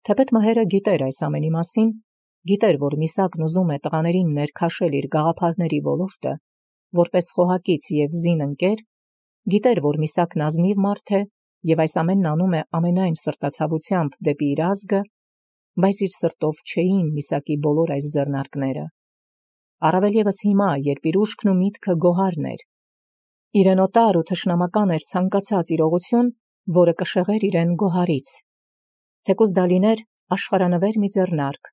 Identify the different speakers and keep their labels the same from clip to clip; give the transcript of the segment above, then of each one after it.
Speaker 1: Թեպետ Մհերը գիտեր այս ամենի մասին, գիտեր, որ Միսակն ուզում է տղաներին ներքաշել իր գաղափարների ոլորտը, որպես խոհակից և զին ընկեր, գիտեր, որ Միսակն ազնիվ մարդ է և այս ամենն անում է ամենայն սրտացավությամբ դեպի իր ազգը, բայց իր սրտով չէին Միսակի բոլոր այս ձեռնարկները։ Առավել ևս հիմա, երբ իր ուշքն ու միտքը գոհարն էր, իրեն օտար ու թշնամական էր ցանկացած իրողություն, որը կշեղեր իրեն գոհարից, թեկուզ դա լիներ աշխարհանվեր մի ձեռնարկ։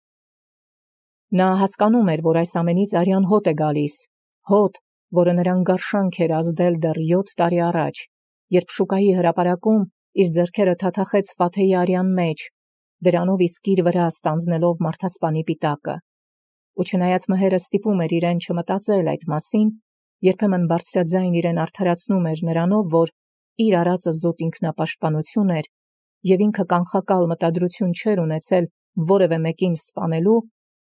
Speaker 1: Նա հասկանում էր, որ այս ամենից արյան հոտ է գալիս, հոտ, որը նրան գարշանք էր ազդել դեռ 7 տարի առաջ, երբ շուկայի հրապարակում իր ձեռքերը թաթախեց Ֆաթեի արյան մեջ, դրանով իսկ իր վրա ստանձնելով մարդասպանի պիտակը։ Ու չնայած Մհերը ստիպում էր իրեն չմտածել այդ մասին, երբեմն բարձրաձայն իրեն արդարացնում էր նրանով, որ իր արածը զուտ ինքնապաշտպանություն էր, և ինքը կանխակալ մտադրություն չէր ունեցել որևէ մեկին սպանելու,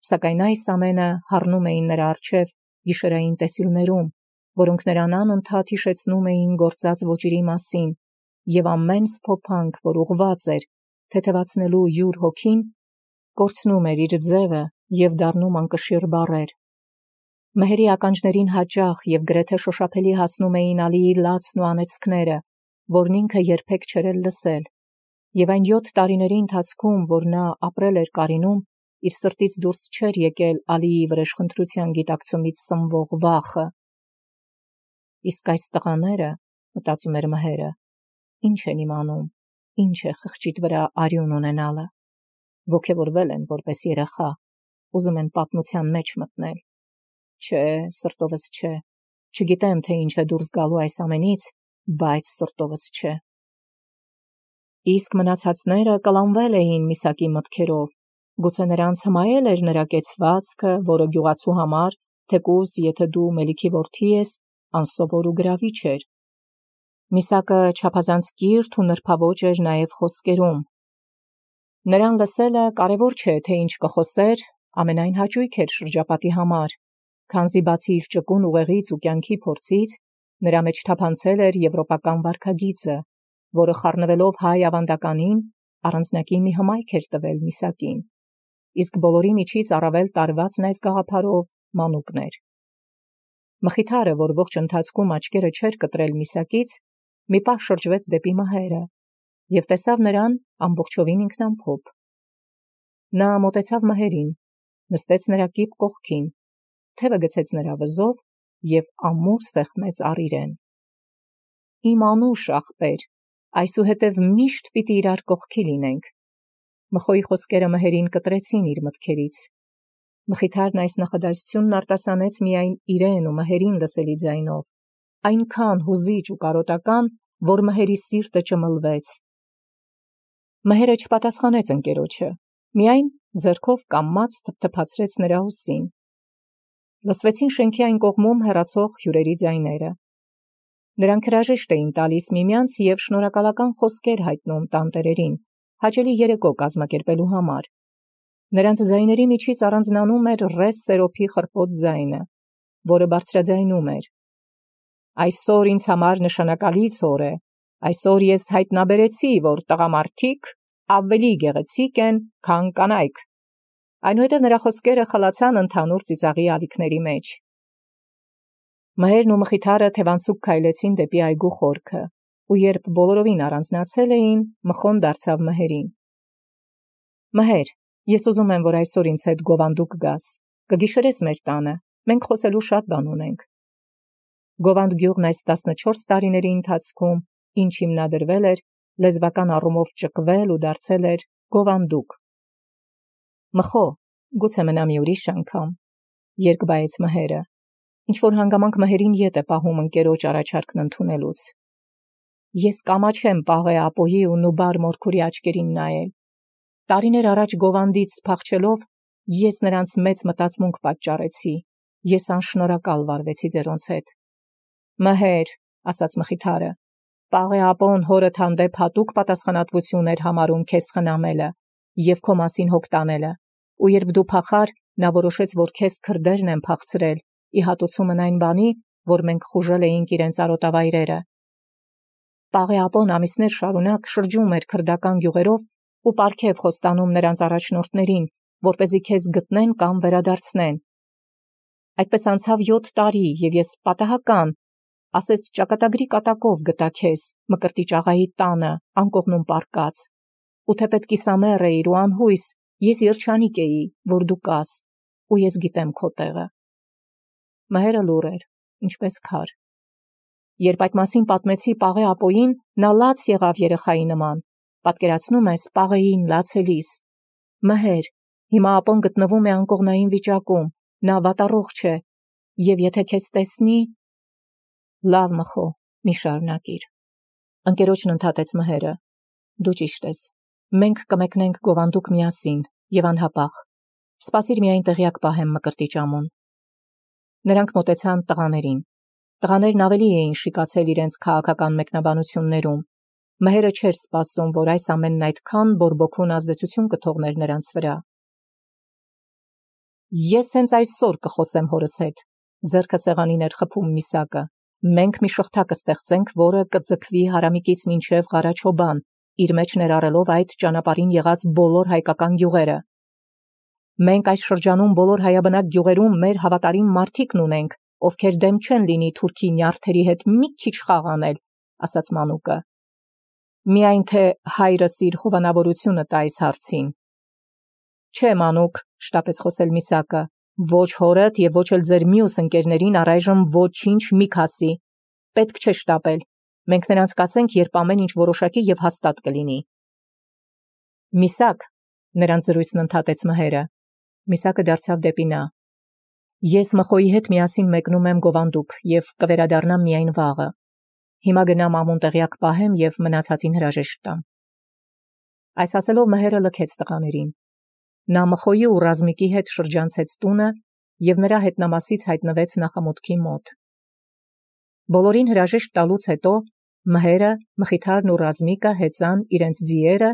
Speaker 1: սակայն այս ամենը հառնում էին նրա առջև գիշերային տեսիլներում, որոնք նրան անընդհատ հիշեցնում էին գործած ոճերի մասին, և ամեն սփոփանք, որ ուղղված էր թեթևացնելու յուր հոգին, կորցնում էր իր ձևը և դառնում անկշիռ բառեր։ Մհերի ականջներին հաճախ և գրեթե շոշափելի հասնում էին Ալիի լացն ու անեծքները, որն ինքը երբեք չէր էլ լսել, և այն 7 տարիների ընթացքում, որ նա ապրել էր Կարինում, իր սրտից դուրս չէր եկել Ալիի վրեժխնդրության գիտակցումից սնվող վախը։ Իսկ այս տղաները, մտածում էր Մհերը, ինչ են իմանում, ինչ է խղճիդ վրա արյուն ունենալը, ոգևորվել են որպես երեխա, ուզում են պատմության մեջ մտնել։ Չէ, սրտովս չէ, չգիտեմ, թե ինչ է դուրս գալու այս ամենից, բայց սրտովս չէ։ Իսկ մնացածները կլանվել էին Միսակի մտքերով, գուցե նրանց հմայել էր նրա կեցվածքը, որը գյուղացու համար, թեկուզ եթե դու Մելիքի որդի ես, անսովոր ու գրավիչ էր։ Միսակը չափազանց կիրթ ու նրբաոճ էր նաև խոսքերում։ Նրան լսելը կարևոր չէ, թե ինչ կխոսեր, ամենայն հաճույք էր շրջապատի համար, քանզի բացի իր ճկուն ուղեղից ու կյանքի փորձից, նրա մեջ թափանցել էր եվրոպական վարքագիծը, որը խառնվելով հայ ավանդականին, առանձնակի մի հմայք էր տվել Միսակին, իսկ բոլորի միջից առավել տարվածն այս գաղափարով Մանուկն էր։ Մխիթարը, որ ողջ ընթացքում աչքերը չէր կտրել Միսակից, մի պահ շրջվեց դեպի Մհերը և տեսավ նրան ամբողջովին ինքնամփոփ։ Նա մոտեցավ Մհերին, նստեց նրա կիպ կողքին, թևը գցեց նրա վզով և ամուր սեղմեց առ իրեն։ Իմ անուշ ախպեր, այսուհետև միշտ պիտի իրար կողքի լինենք։ Մխոյի խոսքերը Մհերին կտրեցին իր մտքերից։ Մխիթարն այս նախադասությունն արտասանեց միայն իրեն ու Մհերին լսելի ձայնով, այնքան հուզիչ ու կարոտական, որ Մհերի սիրտը ճմլվեց։ Մհերը չպատասխանեց ընկերոջը, միայն ձեռքով կամաց թփթփացրեց նրա ուսին։ Լսվեցին շենքի այն կողմում հեռացող հյուրերի ձայները։ Նրանք հրաժեշտ էին տալիս միմյանց և շնորհակալական խոսքեր հայտնում տանտերերին, հաճելի երեկո կազմակերպելու համար։ Նրանց ձայների միջից առանձնանում էր ռես սերոփի խռպոտ ձայնը, որը բարձրաձայնում էր. «Այսօր ինձ համար նշանակալից օր է, այսօր ես հայտնաբերեցի, որ տղամարդիկ ավելի գեղեցիկ են, քան կանայք»։ Այնուհետև նրա խոսքերը խլացան ընդհանուր ծիծաղի ալիքների մեջ։ Մհերն ու Մխիթարը թևանցուկ քայլեցին դեպի այգու խորքը, ու երբ բոլորովին առանձնացել էին, Մխոն դարձավ Մհերին. «Մհեր, ես ուզում եմ, որ այսօր ինձ հետ Գովանդուկ գաս, կգիշերես մեր տանը, մենք խոսելու շատ բան ունենք»։ Գովանդ գյուղն այս 14 տարիների ընթացքում, ինչ հիմնադրվել էր, լեզվական առումով ճկվել ու դարձել էր Գովանդուկ։ Մխո, գուցե մնա մի ուրիշ անգամ, երկբայեց Մհերը, ինչ-որ հանգամանք Մհերին ետ է պահում ընկերոջ առաջարկն ընդունելուց։ Ես կամաչեմ Պաղե ապոյի ու Նուբար Մորքուրի աչքերին նայել։ Տարիներ առաջ Գովանդից փախչելով, ես նրանց մեծ մտածմունք պատճառեցի, ես անշնորհակալ վարվեցի ձերոնց հետ։ Մհեր, ասաց Մխիթարը, Պաղե ապոն հորդ հանդեպ հատուկ պատասխանատվություն էր համարում քեզ խնամելը և քո մասին հոգ տանելը, ու երբ դու փախար, նա որոշեց, որ քեզ քրդերն են փախցրել, ի հատուցումն այն բանի, որ մենք խուժել էինք իրենց արոտավայրերը։ Պաղե ապոն ամիսներ շարունակ շրջում էր քրդական գյուղերով ու պարգև խոստանում նրանց առաջնորդներին, որպեսզի քեզ գտնեն կամ վերադարձնեն։ Այդպես անցավ 7 տարի, և ես պատահական, ասես ճակատագրի կատակով գտա քեզ Մկրտիչ աղայի տանը, անկողնում պառկած, ու թեպետ կիսամեռ էիր ու անհույս, ես երջանիկ էի, որ դու կաս, ու ես գիտեմ քո տեղը։ Մհերը լուռ էր, ինչպես քար։ Երբ այդ մասին պատմեցի Պաղե ապոյին, նա լաց եղավ երեխայի նման, պատկերացնում ես Պաղեին լացելիս։ Մհեր, հիմա ապոն գտնվում է անկողնային վիճակում, նա վատառողջ է, և եթե քեզ տեսնի… Լավ մխո, մի շարունակիր։ Ընկերոջն ընդհատեց Մհերը։ Դու ճիշտ ես, մենք կմեկնենք գովանդուկ միասին և անհապաղ։ Սպասիր միայն տեղյակ պահեմ Մկրտիչ ամուն։ Նրանք մոտեցան տղաներին։ Տղաներն ավելի էին շիկացել իրենց քաղաքական մեկնաբանություններում։ Մհերը չէր սպասում, որ այս ամենն այդքան բորբոքուն ազդեցություն կթողներ նրանց վրա։ Ես հենց այսօր կխոսեմ հորս հետ, ձեռքը սեղանին էր խփում Միսակը։ Մենք մի շղթա կստեղծենք, որը կձգվի Հարամիկից մինչև Ղարաչոբան, իր մեջ ներառելով այդ ճանապարհին եղած բոլոր հայկական գյուղերը։ Մենք այս շրջանում բոլոր հայաբնակ գյուղերում մեր հավատարիմ մարդիկն ունենք, ովքեր դեմ չեն լինի թուրքի նյարդերի հետ մի քիչ խաղ անել, ասաց Մանուկը։ Միայն թե հայրս իր հովանավորությունը տա այս հարցին։ Չէ, Մանուկ, շտապեց խոսել Միսակը, ոչ հորդ և ոչ էլ ձեր մյուս ընկերներին առայժմ ոչինչ մի քասի։ Պետք չէ շտապել։ Մենք նրանց կասենք, երբ ամեն ինչ որոշակի և հաստատ կլինի։ Միսակ, նրանց զրույցն ընդհատեց Մհերը։ Միսակը դարձավ դեպի նա։ Ես Մխոյի հետ միասին մեկնում եմ գովանդուկ և կվերադառնամ միայն վաղը։ Հիմա գնամ ամուն տեղյակ պահեմ և մնացածին հրաժեշտ տամ։ Այս ասելով Մհերը լքեց տղաներին։ Նա Մխոյի ու Ռազմիկի հետ շրջանցեց տունը և նրա հետնամասից հայտնվեց նախամուտքի մոտ։ Բոլորին հրաժեշտ տալուց հետո Մհերը, Մխիթարն ու Ռազմիկը հեծան իրենց ձիերը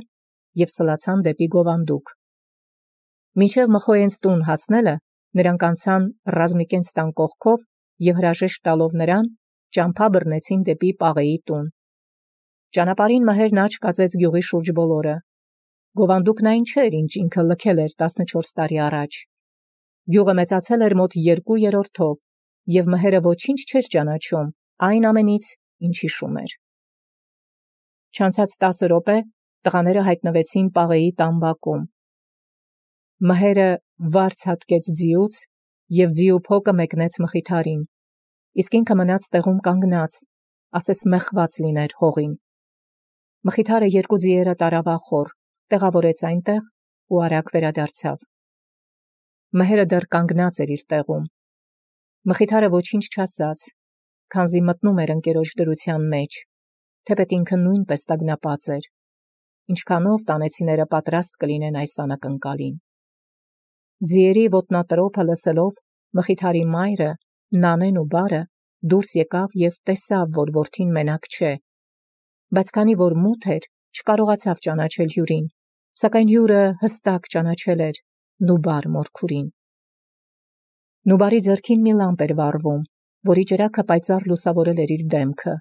Speaker 1: և սլացան դեպի գովանդուկ։ Մինչև Մխոյենց տուն հասնելը նրանք անցան Ռազմիկենց տան կողքով և հրաժեշտ տալով նրան, ճամփա բռնեցին դեպի Պաղեի տուն։ Ճանապարհին Մհերն աչք կացեց գյուղի շուրջ բոլորը։ Գովանդուկն այն չէր, ինչ ինքը լքել էր 14 տարի առաջ։ Գյուղը մեծացել էր մոտ 2/3-ով, և Մհերը ոչինչ չէր ճանաչում այն ամենից, ինչ հիշում էր։ Չանցած 10 րոպե տղաները հայտնվեցին Պաղեի տան բակում։ Մհերը վարձ հատկեց ձիուց և ձիու փոկը մեկնեց Մխիթարին, իսկ ինքը մնաց տեղում կանգնած, ասես մեխված լիներ հողին։ Մխիթարը երկու ձիերը տարավ ախոր, տեղավորեց այնտեղ ու արագ վերադարձավ։ Մհերը դեռ կանգնած էր իր տեղում։ Մխիթարը ոչինչ չասաց, քանզի մտնում էր ընկերոջ դրության մեջ, թեպետ ինքը նույնպես տագնապած էր։ Ինչքանով տանեցիները պատրաստ կլինեն այս անակնկալին։ Ձիերի ոտնատրոփը լսելով Մխիթարի մայրը, Նանեն ու Բարը դուրս եկավ և տեսավ, որ որդին մենակ չէ, բայց քանի որ մութ էր, չկարողացավ ճանաչել հյուրին, սակայն հյուրը հստակ ճանաչել էր Նուբար մորքուրին։ Նուբարի ձեռքին մի լամպ էր վառվում, որի ճրագը պայծառ լուսավորել էր իր դեմքը,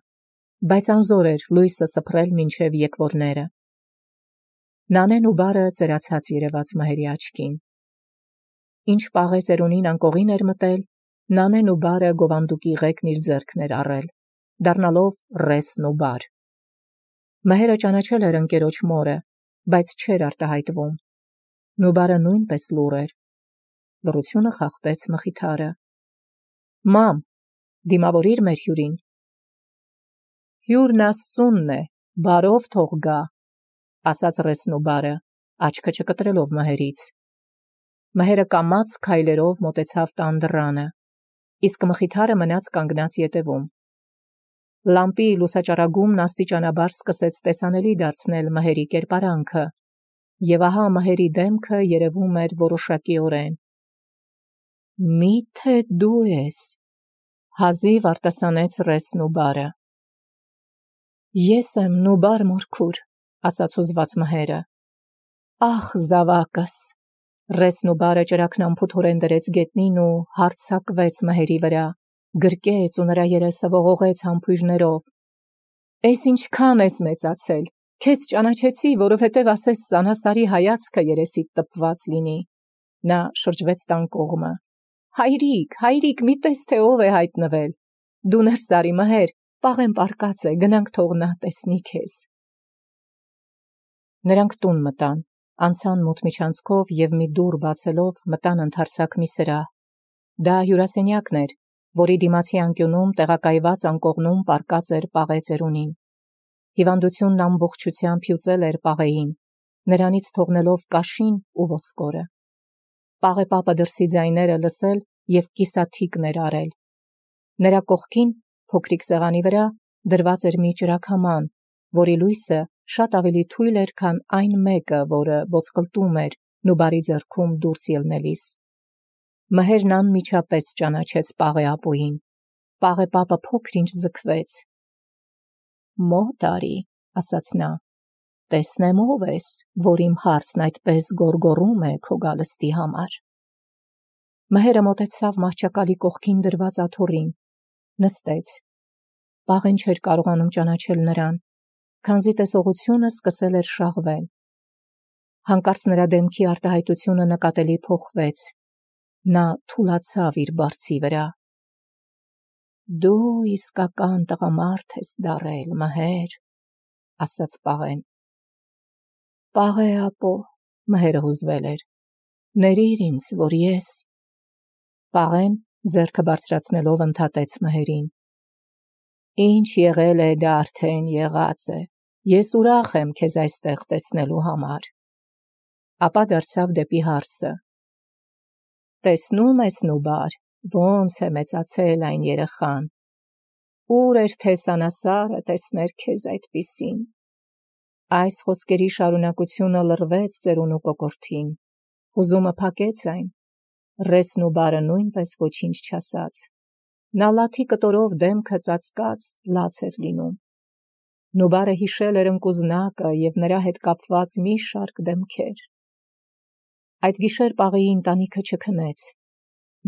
Speaker 1: բայց անզոր էր լույսը սփռել մինչև եկվորները։ Նանեն ու Բարը ծերացած երևաց Մհերի աչքին։ Ինչ Պաղե ծերունին անկողին էր մտել, Նանեն ու Բարը գովանդուկի ղեկն իր ձեռքն էր առել, դառնալով Ռես Նուբար։ Մհերը ճանաչել էր ընկերոջ մորը, բայց չէր արտահայտվում։ Նուբարը նույնպես լուռ էր։ Լռությունը խախտեց Մխիթարը։ Մամ, դիմավորիր մեր հյուրին։ Հյուրն Աստծունն է, բարով թող գա, ասաց Ռես Նուբարը, աչքը չկտրելով Մհերից։ Մհերը կամաց քայլերով մոտեցավ տան դռանը, իսկ Մխիթարը մնաց կանգնած ետևում։ Լամպի լուսաճառագումն աստիճանաբար սկսեց տեսանելի դարձնել Մհերի կերպարանքը, և ահա Մհերի դեմքը երևում էր որոշակիորեն։ Մի՞թե դու ես, հազիվ արտասանեց Ռես Նուբարը։ Ես եմ Նուբար մորքուր, ասաց հուզված Մհերը։ Ախ, զավակս։ Ռես Նուբարը ճրագն անփութորեն դրեց գետնին ու հարձակվեց Մհերի վրա, գրկեց ու նրա երեսը ողողեց համբույրներով։ Էս ինչքան ես մեծացել, Քեզ ճանաչեցի, որովհետև ասես Սանասարի հայացքը երեսիդ տպված լինի։ Նա շրջվեց տան կողմը։ Հայրիկ, մի տես թե ով է հայտնվել։ Դու ներս արի Մհեր, պաղեն պարկած է, գնանք թող նա տեսնի քեզ։ Նրանք տուն մտան, անցան մութ միջանցքով և մի դուռ բացելով մտան ընդարձակ մի սրահ։ Դա հյուրասենյակն էր, որի դիմացի անկյունում տեղակայված անկողնում պարկած էր Պաղե ծերունին։ Հիվանդությունն ամբողջությամբ հյուծել էր Պաղեին, նրանից թողնելով կաշին ու ոսկորը։ Պաղե պապը դրսի ձայները լսել և կիսաթիկներ արել։ Նրա կողքին, փոքրիկ սեղանի վրա, դրված էր մի ճրագաման, որի լույսը շատ ավելի թույլ էր, քան այն մեկը, որը ոսկլտում էր Նուբարի ձեռքում դուրս ելնելիս։ Մհերն անմիջապես ճանաչեց Պաղե ապուին։ Պաղե պապը փոքր-ինչ ձգվեց։ «Մոտ արի», ասաց նա, «տեսնեմ ով ես, որ իմ հարցն այդպես գոռգոռում է քո գալստի համար»։ Մհերը մոտեցավ մահճակալի կողքին դրված աթոռին, նստեց։ Պաղեն չէր կարողանում ճանաչել նրան, քանզի տեսողությունը սկսել էր շաղվել։ Հանկարծ նրա դեմքի արտահայտությունը նկատելի փոխվեց։ Նա թուլացավ իր բարձի վրա։ «Դու իսկական տղամարդ ես դառել, Մհեր», ասաց Պաղեն։ «Պաղե ապո», Մհերը հուզվել էր, «ներիր ինձ, որ ես»։ Պաղեն ձեռքը բարձրացնելով ընդհատեց Մհերին։ «Ինչ եղել է, դա արդեն եղած է, ես ուրախ եմ քեզ այստեղ տեսնելու համար»։ Ապա դարձավ դեպի հարսը։ «Տեսնում ես Նուբար, ոնց է մեծացել այն երեխան։ Ուր էր թե Սանասարը տեսներ քեզ այդպիսին»։ Այս խոսքերի շարունակությունը լռվեց ծերունու կոկորդին, հուզումը փակեց այն։ Ռես Նուբարը նույնպես ոչինչ չասաց։ Նա լաթի կտորով դեմքը ծածկած լաց էր լինում։ Նուբարը հիշել էր ընկուզնակը և նրա հետ կապված մի շարք դեմքեր։ Այդ գիշեր Պաղեի ընտանիքը չքնեց։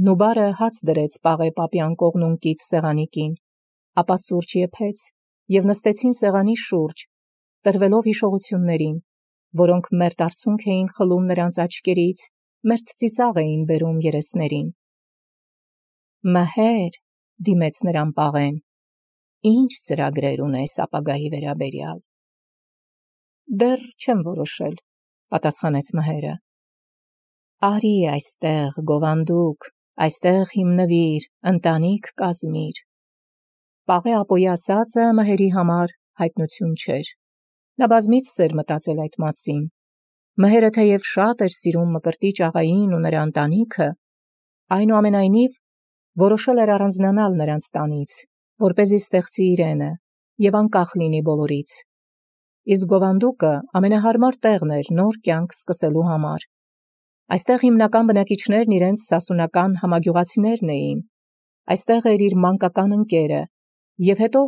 Speaker 1: Նուբարը հաց դրեց Պաղե պապի անկողնուն կից սեղանիկին, ապա սուրճ եփեց և նստեցին սեղանի շուրջ, տրվելով հիշողություններին, որոնք մերթ արցունք էին խլում նրանց աչքերից, մերթ ծիծաղ էին բերում երեսներին։ «Մհեր», դիմեց նրան Պաղեն, «ինչ ծրագրեր ունես ապագայի վերաբերյալ»։ «Դեռ չեմ որոշել», պատասխանեց Մհերը։ «Արի այստեղ, գովանդուկ, այստեղ հիմնվիր, ընտանիք կազմիր»։ Պաղե ապոյի ասածը Մհերի համար հայտնություն չէր։ Նա բազմիցս էր մտածել այդ մասին։ Մհերը թեև շատ էր սիրում Մկրտիչ աղային ու նրա ընտանիքը, այնուամենայնիվ որոշել էր առանձնանալ նրանց տանից, որպեսզի ստեղծի իրենը և անկախ լինի բոլորից։ Իսկ գովանդուկը ամենահարմար տեղն էր նոր կյանք սկսելու համար։ Այստեղ հիմնական բնակիչներն իրենց սասունական համագյուղացիներն էին։ Այստեղ էր իր մանկական ընկերը, և հետո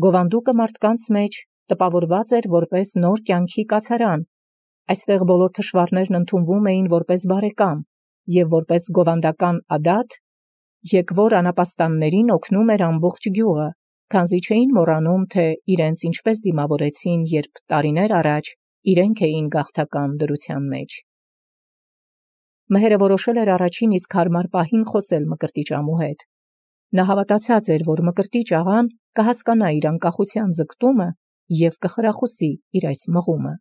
Speaker 1: գովանդուկը մարդկանց մեջ տպավորված էր որպես նոր կյանքի կացարան։ Այստեղ բոլոր թշվառներն ընդունվում էին որպես բարեկամ և որպես գովանդական ադաթ, եկվոր անապաստաններին օգնում էր ամբողջ գյուղը, քանզի չէին մոռանում, թե իրենց ինչպես դիմավորեցին, երբ տարիներ առաջ իրենք էին գաղթական դրության մեջ։ Մհերը որոշել էր առաջին իսկ հարմար պահին խոսել Մկրտիչ ամու հետ։ Նա հավատացած էր, որ Մկրտիչ աղան կհասկանա իր անկախության ձգտումը և կխրախուսի իր այս մղումը։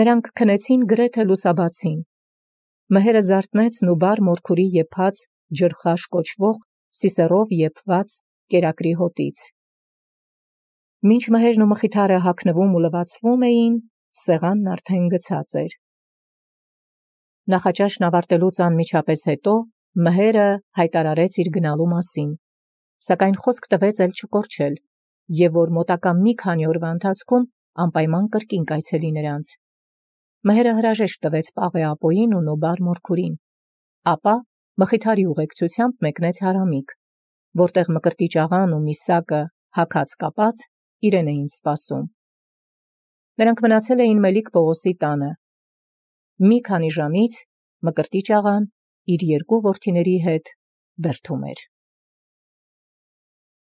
Speaker 1: Նրանք քնեցին գրեթե լուսաբացին։ Մհերը զարթնեց Նուբար մորքուրի եփած ջրխաշ կոչվող սիսեռով եփված կերակրի հոտից։ Մինչ Մհերն ու Մխիթարը հագնվում ու լվացվում էին, սեղանն արդեն գցած էր։ Նախաճաշն ավարտելուց անմիջապես հետո Մհերը հայտարարեց իր գնալու մասին, սակայն խոսք տվեց էլ չկորչել, և որ մոտակա մի քանի օրվա ընթացքում անպայման կրկին կայցելի նրանց։ Մհերը հրաժեշտ տվեց Պաղե ապոյին ու Նուբար մորքուրին, ապա Մխիթարի ուղեկցությամբ մեկնեց Հարամիկ, որտեղ Մկրտիչ աղան ու Միսակը հագած կապած իրեն էին սպասում։ Նրանք մնացել էին Մելիք Պողոսի տանը։ Մի քանի ժամից Մկրտիչ աղան իր երկու որդիների հետ բերդում էր։